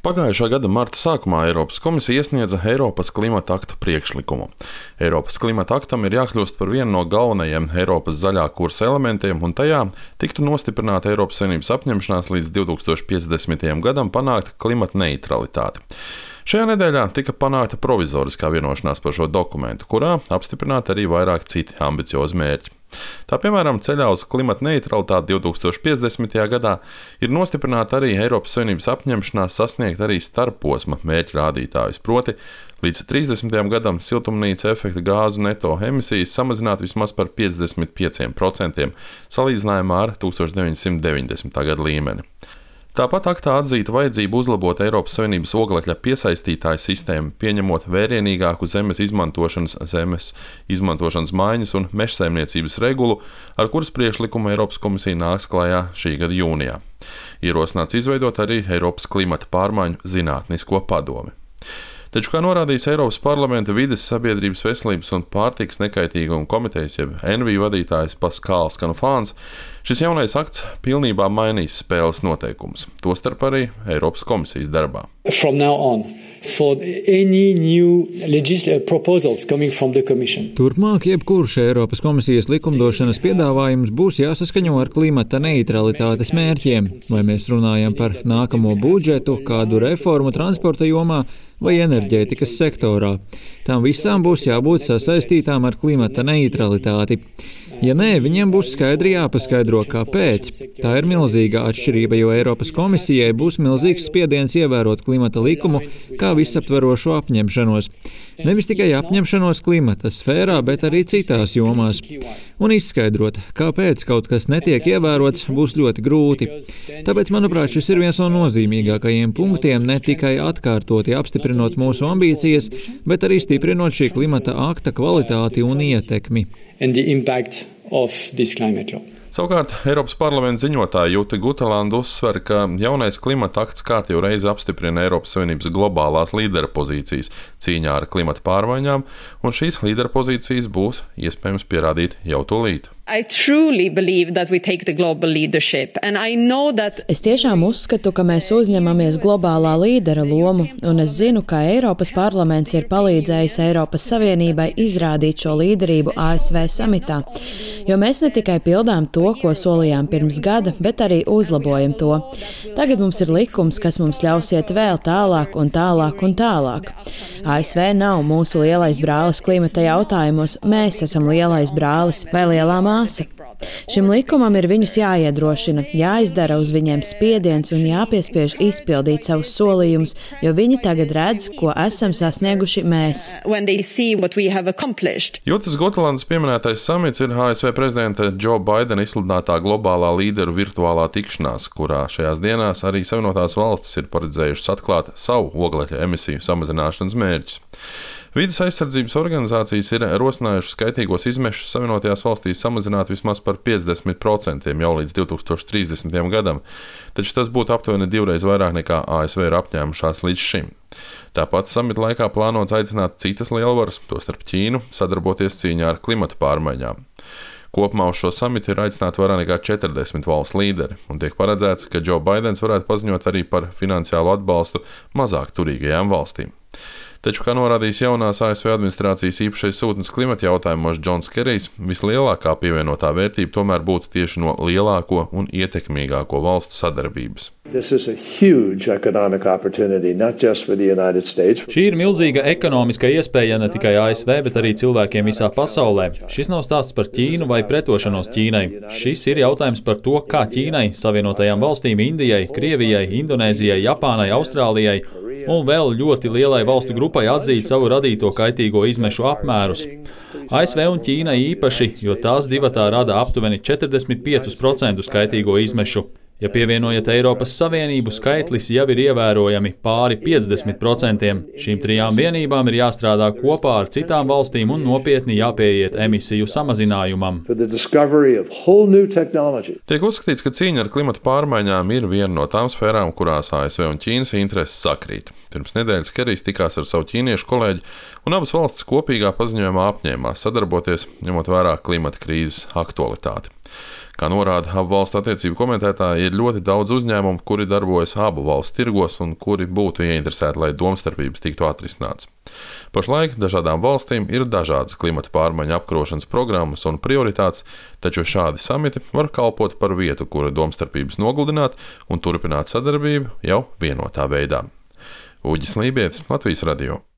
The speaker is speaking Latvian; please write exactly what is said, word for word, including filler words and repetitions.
Pagājušā gada marta sākumā Eiropas komisija iesniedza Eiropas klimata akta priekšlikumu. Eiropas klimata aktam ir jākļūst par vienu no galvenajiem Eiropas zaļā kursa elementiem, un tajā tiktu nostiprināta Eiropas Savienības apņemšanās līdz divi tūkstoši piecdesmitajam gadam panākt klimata neutralitāti. Šajā nedēļā tika panākta provizoriskā vienošanās par šo dokumentu, kurā apstiprināti arī vairāk citi ambiciozi mērķi. Tā piemēram, ceļā uz klimata neutralitāti divi tūkstoši piecdesmitajā gadā ir nostiprināta arī Eiropas Savienības apņemšanās sasniegt arī starpposma mērķu rādītājus, proti līdz trīsdesmitajam gadam siltumnīca efekta gāzu neto emisijas samazināt vismaz par piecdesmit pieciem procentiem salīdzinājumā ar tūkstoš deviņsimt deviņdesmitā gada līmeni. Tāpat aktā atzīta vajadzība uzlabot Eiropas Savienības oglekļa piesaistītāju sistēmu, pieņemot vērienīgāku zemes izmantošanas, zemes izmantošanas maiņas un mežsaimniecības regulu, ar kuras priekšlikumu Eiropas komisija nāks klajā šī gada jūnijā. Ierosināts izveidot arī Eiropas klimata pārmaiņu zinātnisko padomi. Taču, kā norādījis Eiropas parlamenta vides, sabiedrības veselības un pārtikas nekaitīguma komitejas, jeb N V vadītājs Paskāls Kanufāns, šis jaunais akts pilnībā mainīs spēles noteikumus, tostarp arī Eiropas komisijas darbā. Turpmāk jebkurš Eiropas komisijas likumdošanas piedāvājums būs jāsaskaņo ar klimata neutralitātes mērķiem, vai mēs runājam par nākamo budžetu, kādu reformu transporta jomā vai enerģētikas sektorā. Tām visām būs jābūt sasaistītām ar klimata neutralitāti. Ja nē, viņiem būs skaidri jāpaskaidro, kāpēc. Tā ir milzīga atšķirība, jo Eiropas komisijai būs milzīgs spiediens ievērot klimata likumu kā visaptverošo apņemšanos. Nevis tikai apņemšanos klimata sfērā, bet arī citās jomās. Un izskaidrot, kāpēc kaut kas netiek ievērots, būs ļoti grūti. Tāpēc, manuprāt, šis ir viens no nozīmīgākajiem punktiem, ne tikai atkārtoti apstiprinot mūsu ambīcijas, bet arī stiprinot šī klimata akta kvalitāti un ietekmi. Savukārt, Eiropas parlamenta ziņotāja Jute Guteland uzsver, ka jaunais klimata akts kārtīgi reizi apstiprina Eiropas Savienības globālās līdera pozīcijas cīņā ar klimata pārmaiņām, un šīs līdera pozīcijas būs iespējams pierādīt jau tūlīt. Es tiešām uzskatu, ka mēs uzņemamies globālā līdera lomu, un es zinu, ka Eiropas parlaments ir palīdzējis Eiropas Savienībai izrādīt šo līderību A S V samitā, jo mēs ne tikai pildām to, ko solījām pirms gada, bet arī uzlabojam to. Tagad mums ir likums, kas mums ļaus iet vēl tālāk un tālāk un tālāk. A S V nav mūsu lielais brālis klimata jautājumos, mēs esam lielais brālis vai lielā māsa. Šim likumam ir viņus jāiedrošina, jāizdara uz viņiem spiediens un jāpiespiež izpildīt savus solījumus, jo viņi tagad redz, ko esam sasnieguši mēs. Jūtas Gutelandes pieminētais samits ir A S V prezidenta Džo Baidena izsludinātā globālā līderu virtuālā tikšanās, kurā šajās dienās arī Savienotās valstis ir paredzējušas atklāt savu oglekļa emisiju samazināšanas mērķus. Vides aizsardzības organizācijas ir rosinājušas skaitīgos izmešus Savienotajās valstīs samazināt vismaz par piecdesmit procentiem jau līdz divi tūkstoši trīsdesmitajam gadam, taču tas būtu aptuveni divreiz vairāk nekā A S V ir apņēmušās līdz šim. Tāpat samita laikā plānots aicināt citas lielvaras, tostarp Ķīnu, sadarboties cīņā ar klimata pārmaiņām. Kopumā uz šo samitu ir aicināti vairāk nekā četrdesmit valstu līderi, un tiek paredzēts, ka Džo Baidens varētu paziņot arī par finansiālu atbalstu mazāk turīgajām valstīm. Taču, kā norādījis jaunās A S V administrācijas īpašais sūtnis klimata jautājumos Džons Kerijs, vislielākā pievienotā vērtība tomēr būtu tieši no lielāko un ietekmīgāko valstu sadarbības. Šī ir milzīga ekonomiska iespēja ne tikai A S V, bet arī cilvēkiem visā pasaulē. Šis nav stāsts par Ķīnu vai pretošanos Ķīnai. Šis ir jautājums par to, kā Ķīnai, Savienotajām valstīm, Indijai, Krievijai, Indonēzijai, Japānai, Austrālijai un vēl ļoti lielai valstu grupai atzīt savu radīto kaitīgo izmešu apmērus. A S V un Ķīna īpaši, jo tās divatā rada aptuveni četrdesmit piecus procentus kaitīgo izmešu. Ja pievienojat Eiropas Savienību, skaitlis jau ir ievērojami pāri piecdesmit procentiem. Šīm trijām vienībām ir jāstrādā kopā ar citām valstīm un nopietni jāpieiet emisiju samazinājumam. Tiek uzskatīts, ka cīņa ar klimata pārmaiņām ir viena no tām sfērām, kurās A S V un Ķīnas intereses sakrīt. Pirms nedēļas Kerijs tikās ar savu ķīniešu kolēģi, un abas valstis kopīgā paziņojumā apņēmās sadarboties, ņemot vērā klimata krīzes aktualitāti. Kā norāda abu valstu attiecību komentētāji, ir ļoti daudz uzņēmumu, kuri darbojas abu valstu tirgos un kuri būtu ieinteresēti, lai domstarpības tiktu atrisināts. Pašlaik dažādām valstīm ir dažādas klimata pārmaiņu apkarošanas programmas un prioritātes, taču šādi samiti var kalpot par vietu, kura domstarpības nogludināt un turpināt sadarbību jau vienotā veidā. Uģis Lībietis, Latvijas radio.